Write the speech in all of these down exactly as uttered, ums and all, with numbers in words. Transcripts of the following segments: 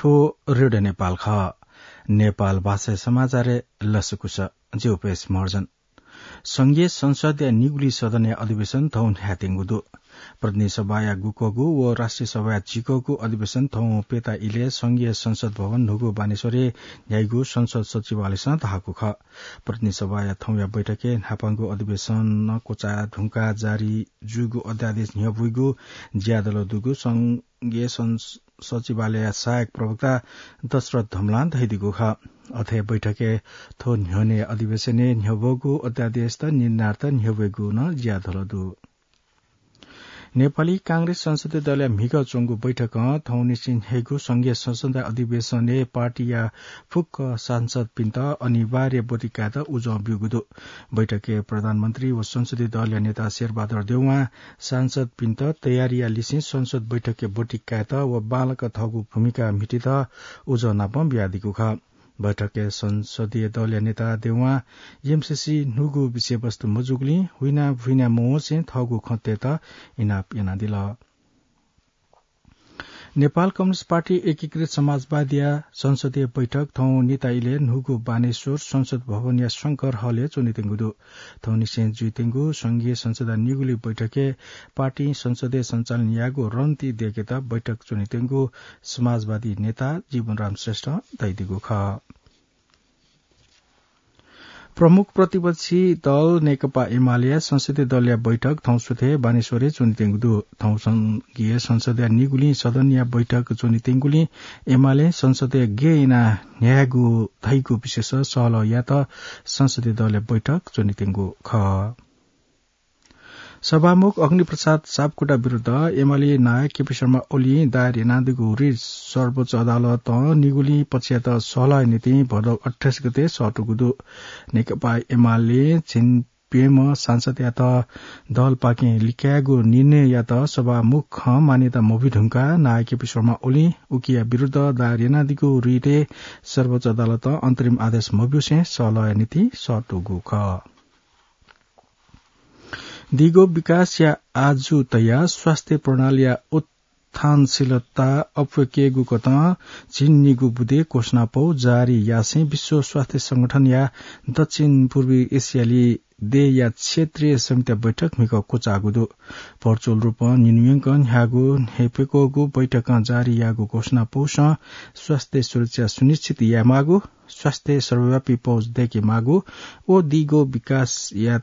थ्व रेडियो नेपाल खः। नेपाल भाषा समाचारय् लसकुस। जि उपेश महर्जन। संघीय संसदया निगुलिं सदनया अधिवेशन थौं न्ह्यायेत्यंगु दु। प्रतिनिधि सभाया गुकःगु व राष्ट्रिय सभाया झिकःगु अधिवेशन थौं प्यता इलय् संघीय संसद भवन न्हूगु बानेश्वरय् न्ह्याइगु संसद सचिवालयसं धाःगु खः। प्रतिनिधि सभाया थौंया बैठकय् न्हापांगु अधिवेशन क्वचाये धुंकाः जारी जूगु अध्यादेश न्ह्यब्वइगु ज्यादल दुगु संघीय सं-, सचिवालयया सहायक प्रवक्ता दशरथ धमलां धयादीगु खः। अथे बैठकय् थ्व न्ह्यःने अधिवेशनय् न्ह्यब्वःगु अध्यादेशत निर्णयार्थ न्ह्यब्वइगु नं ज्यादल दु। नेपाली कांग्रेस संसदीय दलया म्हिगः च्वंगु बैठकं थौंनिसें न्ह्याइगु संघीय संसदया अधिवेशनय् पार्टीया फुक्क सांसदपिन्त अनिवार्य ब्वति कायेत उजं ब्यूगु दु। बैठकय् प्रधानमन्त्री व संसदीय दलया नेता शेरबहादुर देउवां सांसदपिन्त तयारीया लिसें संसद बैठकय् ब्वति कायेत व बांलाक थःगु भूमिका म्हितेत उजं नापं बियादीगु खः। बैठकय् संसदीय दलया नेता देउवां एमसीसी न्हूगु विषयवस्तु मजूगुलिं हुइना भुइना मवंसे थःगु खँ तयेत इनाप यानादिल। नेपाल कम्युनिस्ट पार्टी एकीकृत समाजवादीया संसदीय बैठक थौं निता इलय् न्हूगु बानेश्वर संसद भवनया शंकर हलय् च्वनेत्यंगु दु। थौंनिसें जुइत्यंगु संघीय संसदया निगुलिं बैठकय् पार्टीं संसदय् सञ्चालन यायेगु रणनीति दय्केत बैठक च्वनेत्यंगु समाजवादी नेता जीवनराम श्रेष्ठं धयादीगु खः। प्रमुख प्रतिपक्षी दल नेकपा एमालेया संसदीय दलया बैठक थौं सुथय् बानेश्वरय् च्वनेत्यंगु दु। थौं संघीय संसदया निगुलिं सदनया बैठक च्वनेत्यंगुलिं एमालें संसदय् गय् यानाः न्ह्यायेगु धइगु विषयस सहलह यायेत संसदीय दलया बैठक च्वनेत्यंगु खः। सभामुख अग्निप्रसाद सापकोटा विरुद्ध एमाले नायः केपी शर्मा ओलीं दायर यानादीगु रिट सर्वोच्च अदालतं निगुलिं पक्षयात सहलहया निंतिं भदौ अट्ठाइस गते सःतूगु दु। नेकपा एमाले झिंप्यम्ह सांसदयात दलपाखें लिकायेगु निर्णययात सभामुखं मान्यता मबिधुंकाः नायः केपी शर्मा ओलीं उकिया विरुद्ध दायर यानादीगु रिटय् सर्वोच्च अदालतं अन्तरिम आदेश मब्यूसें सहलहया निंतिं सःतूगु खः। दीगो विकासया आजु तयाः स्वास्थ्य प्रणालीया उत्थानशीलता अप्वय्केगु कथं झिंनिगू बुँदे घोषणापौ जारी यासें विश्व स्वास्थ्य संगठनया दक्षिण पूर्वी एसियाली देय्या क्षेत्रीय समितिया बैठक म्हिगः क्वचाःगु दु। भर्चुअल रूपं निन्हु यंकं न्ह्याःगु न्ह्यइपुगु बैठकं जारी याःगु घोषणापौसं स्वास्थ्य सुरक्षा सुनिश्चित यायेमाःगु, स्वास्थ्य सर्वव्यापी पहुँच दय्केमाःगु व दीगो विकासया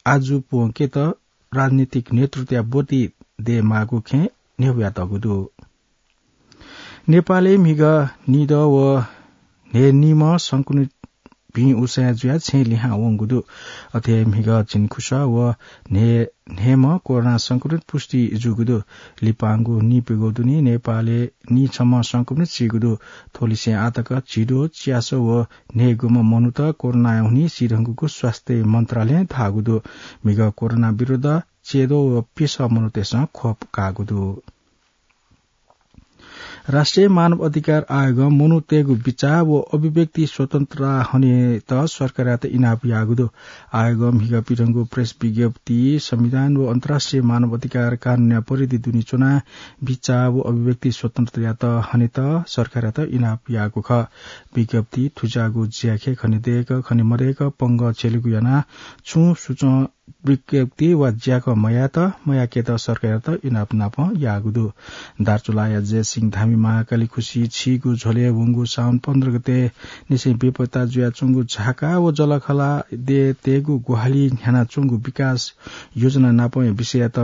आजु प्वंकेत राजनीतिक नेतृत्वया ब्वति दयेमाःगु खँय् न्ह्यब्वयातःगु दु। नेपालय् म्हिगः निदँ व न्हय्निम्ह संक्रमित भिं उसाँय् जुयाः छेँ लिहां वंगु दु। अथे हे म्हिगः झिंखुसः व न्हय् न्हय्म्ह कोरोना संक्रमित पुष्टि जूगु दु। लिपांगु नीप्यघौ दुने नेपालय् नीछम्ह संक्रमित सीगु दु। थ्वलिसें आःतक झिद्वः, च्यासः व न्हय्गुम्ह मनूत कोरोनाया हुनिं सीधुंकूगु स्वास्थ्य मन्त्रालयं धाःगु दु। म्हिगः कोरोना विरुद्ध च्याद्वः व प्यसः मनूतय्सं खोप काःगु दु। राष्ट्रिय मानव अधिकार आयोगं मनूतय्गु बिचाः व अभिव्यक्ति स्वतन्त्रता हनेत सरकारयात इनाप याःगु दु। आयोगं म्हिगः पिथंगु प्रेस विज्ञप्तिइ संविधान व अन्तर्राष्ट्रिय मानव अधिकार कानूनया परिधि दुने च्वनाः बिचाः व अभिव्यक्ति स्वतन्त्रतायात हनेत सरकारयात इनाप याःगु खः। विज्ञप्तिइ थुज्याःगु ज्याखँय् खने दय्क, खने मदय्क, पंगः छ्यलेगु यानाः छुं सुचं विज्ञप्ति वा ज्याखँ मयायेत, मयाकेत सरकारयात इनाप नापं याःगु दु। दार्चुलाया जयसिंह धामी महाकाली खुसि छिगु झ्वलय् वंगु साउन पन्ध्र गते निसें बेपत्ता जुयाच्वंगु झाका व जःलाखःला देय् तयेगु ग्वाहालि न्ह्यानाच्वंगु विकास योजना नापंया विषययात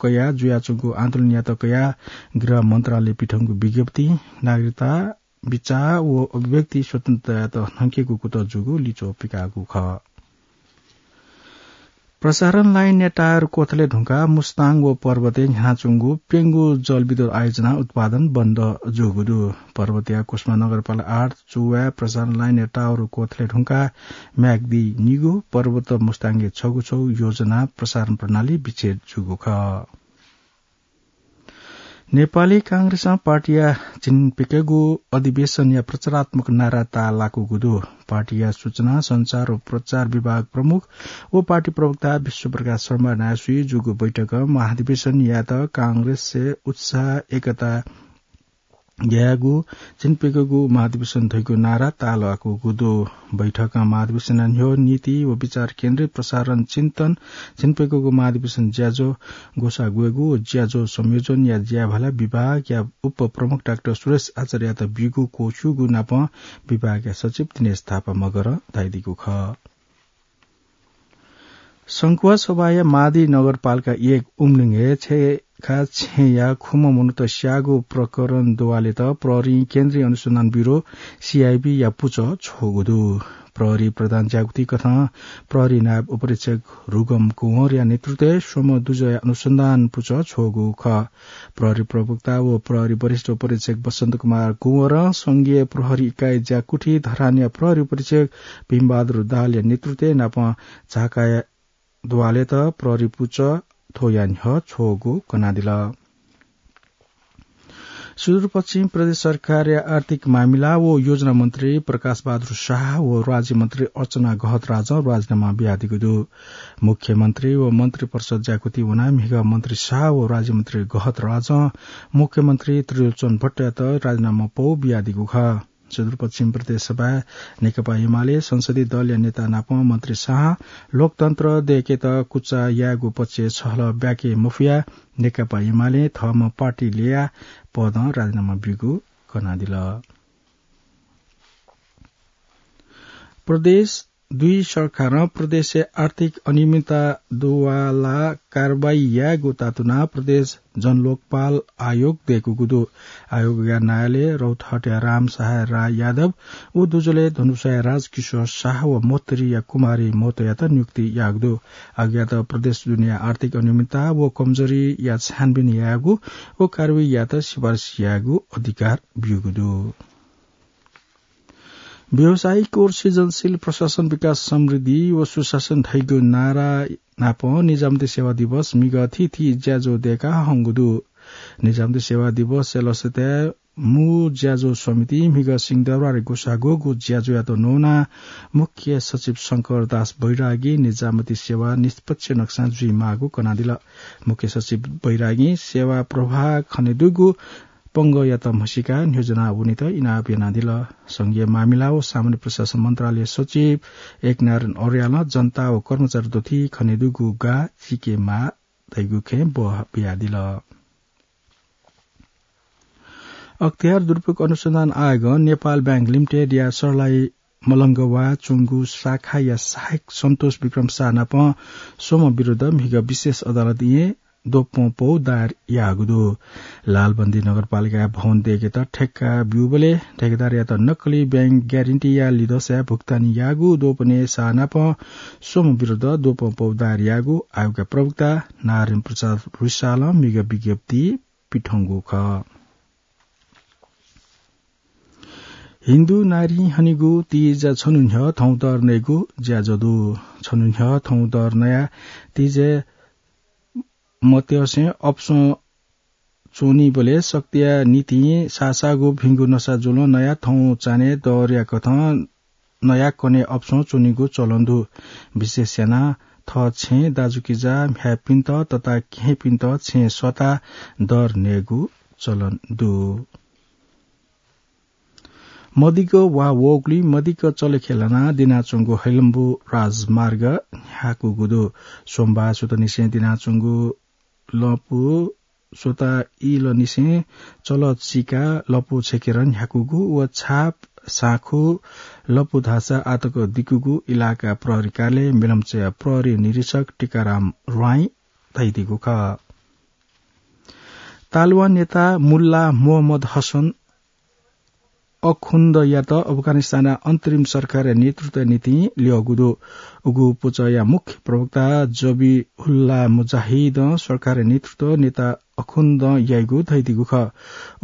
कयाः जुयाच्वंगु आन्दोलनयात कयाः गृह मन्त्रालयं पिथंगु विज्ञप्तिइ नागरिकता, बिचाः व अभिव्यक्ति स्वतन्त्रतायात न्हंकेगु कुतः जूगु लिच्वः पिकाःगु खः। प्रसारण लाइनया टावर क्वथले धुंकाः मुस्ताङ व पर्वतय् न्ह्यानाच्वंगु प्यंगू जलविद्युत आयोजना उत्पादन बन्द जूगु दु। पर्वतया कुसुमा नगरपालिका आठ चुवाय् प्रसारण लाइनया टावर क्वथले धुंकाः म्याग्दी निगू, पर्वत मुस्ताङया छगू छगू योजना प्रसारण प्रणाली विच्छेद जूगु खः। नेपाली कांग्रेसं पार्टीया झिंप्यघौ अधिवेशनया प्रचारात्मक नारा ताःलाकूगु दु। पार्टीया सूचना, सञ्चार व प्रचार विभाग प्रमुख व पार्टी प्रवक्ता विश्वप्रकाश शर्मा नायःसुइ जूगु बैठकं महाधिवेशन यायेत कांग्रेसय् उत्साह, एकता यायेगु झिंप्यघौगु महाधिवेशन धइगु नारा ताःलाकूगु दु। बैठकं महाधिवेशनया न्ह्यः नीति व विचार केन्द्रित प्रसारण चिन्तन झिंप्यघौगु महाधिवेशन ज्याझ्वः ग्वसाः ग्वयेगु व ज्याझ्वः संयोजनया ज्याभाला विभागया उपप्रमुख डाक्टर सुरेश आचार्ययात ब्यूगु क्वःछ्यूगु नापं विभागया सचिव दिनेश थापा मगरं धयादीगु खः। संखुवासभाया मादी नगरपालिका एक उमलिङय् छेँखा छेँया खुम्ह मनूत स्याःगु प्रकरण दुवालेत प्रहरीं केन्द्रीय अनुसन्धान ब्यूरो, सीआईबी, या पुचः छ्वःगु दु। प्रहरी प्रधान ज्याकुथिकथं प्रहरी नायब उपरीक्षक रुगम कुँवरया नेतृत्वय् स्वम्ह दुजःया अनुसन्धान पुचः छ्वःगु खः। प्रहरी प्रवक्ता व प्रहरी वरिष्ठ उपरीक्षक बसन्त कुमार कुँवरं संघीय प्रहरी इकाई ज्याकुथि धरानया प्रहरी उपरीक्षक भीमबहादुर दाहालया नेतृत्वय् नापं झाकाया दुवालेत प्रहरी पुचः थ्वया न्ह्यः छ्वःगु कनादिल। सुदूरपश्चिम प्रदेश सरकारया आर्थिक मामिला व योजना मन्त्री प्रकाश बहादुर शाह व राज्यमन्त्री अर्चना गहतराजं राजीनामा बियादीगु दु। मुख्यमन्त्री व मन्त्री परिषद ज्याकुथि वनाः म्हिगः मन्त्री शाह व राज्यमन्त्री गहतराजं मुख्यमन्त्री त्रिलोचन भट्टयात राजीनामा पौ बियादीगु खः। सुदूरपश्चिम प्रदेश सभाय् नेकपा एमाले संसदीय दलया नेता नाप मन्त्री शाहं लोकतन्त्र दय्केत कुचा यायेगु पक्षय् छलह ब्याके मफुयाः नेकपा एमालें थःम्हं पार्टी ल्ययाः पदं राजीनामा ब्यूगु कनादिल। प्रदेश दुई सरकारं प्रदेशय् आर्थिक अनियमितता दुवालाः कारवाही यायेगु तातुनाः प्रदेश जनलोकपाल आयोग दय्कूगु दु। आयोगया नायलय् रौतहटया रामसहाय राय यादव व दुजलय् धनुषाया राजकिशोर शाह व महोत्तरीया कुमारी महतोयात नियुक्ति याःगु दु। आयोगयात प्रदेश दुनेया आर्थिक अनियमितता व कमजोरीया छानबिन यायेगु व कारवाही यायेत सिफारिस यायेगु अधिकार ब्यूगु दु। व्यावसायिक व सृजनशील प्रशासन, विकास, समृद्धि व सुशासन धइगु नारा नाप निजामती सेवा दिवस म्हिगः थीथी ज्याझ्वः दय्काः हंगु दु। निजामती सेवा दिवसया लसताय् मू ज्याझ्वः समितिं म्हिगः सिंहदरबारय् ग्वसाः ग्वःगु ज्याझ्वःयात न्वनाः मुख्य सचिव शंकर दास बैरागी निजामती सेवा निष्पक्ष नक्सां जुइमाःगु कनादिल। मुख्य सचिव बैरागीं सेवा प्रवाह खनेदुगु पंगःयात म्हसीकाः नियोजना वनेत इनाप यानादिल। संघीय मामिला व सामान्य प्रशासन मन्त्रालय सचिव एकनारायण अर्यालं जनता व कर्मचारी दथुइ खनेदुगु गाः चीकेमाः धइगु खँय् बः बियादिल। अख्तियार दुरुपयोग अनुसन्धान आयोगं नेपाल बैंक लिमिटेडया सर्लाही मलंगवाः च्वंगु शाखाया सहायक सन्तोष विक्रम शाह नाप स्वम्ह विरुद्ध म्हिगः विशेष अदालतय् द्वपं पौ दायर याःगु दु। लालबन्दी नगरपालिकाया भवन दय्केत ठेक्का ब्यूबलय् ठेकेदारयात नक्कली बैंक ग्यारेन्टीया लिधंसाय् भुक्तानी याःगु द्वपनय् शाह नाप स्वम्ह विरुद्ध द्वपं पौ दायर याःगु आयोगया प्रवक्ता नारायण प्रसाद रिसालं म्हिगः विज्ञप्ति पिथंगु खः। हिन्दू नारीं हनीगु तीज छन्हु न्ह्यः थौं दर नयेगु ज्याझ्वः दु। छन्हु न्ह्यः थौं दर नयाः तीजय् मत्यंसे अपसं च्वनीबलय् शक्तिया निंतिं सासागु भिंगु नसा जुलं नयाः थौं चान्हय् दरया कथं नयाः कन्हय् अपसं च्वनीगु चलन दु। विशेष यानाः थः छेँय् दाजुकिजा, म्ह्याय्‌पिन्त, तता केहेँपिन्त छेँय् सःताः दर नयेगु चलन दु। मदिक्क वा वःगुलिं मदिक्क चलेखे लानाः दिनाच्वंगु हैलम्बु राजमार्ग न्ह्याकूगु दु। सोमबार सुथंनिसें दिनाच्वंगु लँपु स्वता इलंनिसें चलः चिकाः लँपु छेकेरं न्ह्याकूगु व छाप, साँखु, लँपु धाःसा आःतक दिकूगु इलाका प्रहरी कार्यालय मेलम्चया प्रहरी निरीक्षक टीकाराम ह्वाँइ धयादीगु खः। तालिबान नेता मुल्ला मोहम्मद हसन अखुन्दयात अफगानिस्तानया अन्तरिम सरकारया नेतृत्वया निंतिं ल्यःगु दु। उगु पुचःया मुख्य प्रवक्ता जबिहुल्ला मुजाहिदं सरकारया नेतृत्व नेता अखुन्दं याइगु धयादीगु खः।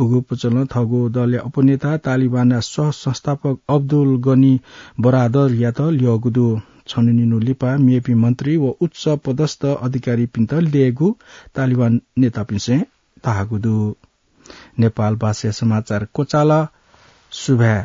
उगु पुचलं थःगु दलया उपनेता तालिबानया सह संस्थापक अब्दुल गनी बरादरयात ल्यःगु दु। छन्हु निन्हु लिपा मेपिं मन्त्री व उच्च पदस्थ अधिकारीपिन्त ल्ययेगु तालिबान नेतापिन्सं धाःगु दु। नेपाल भाषाया समाचार क्वचाल। सुभाय्।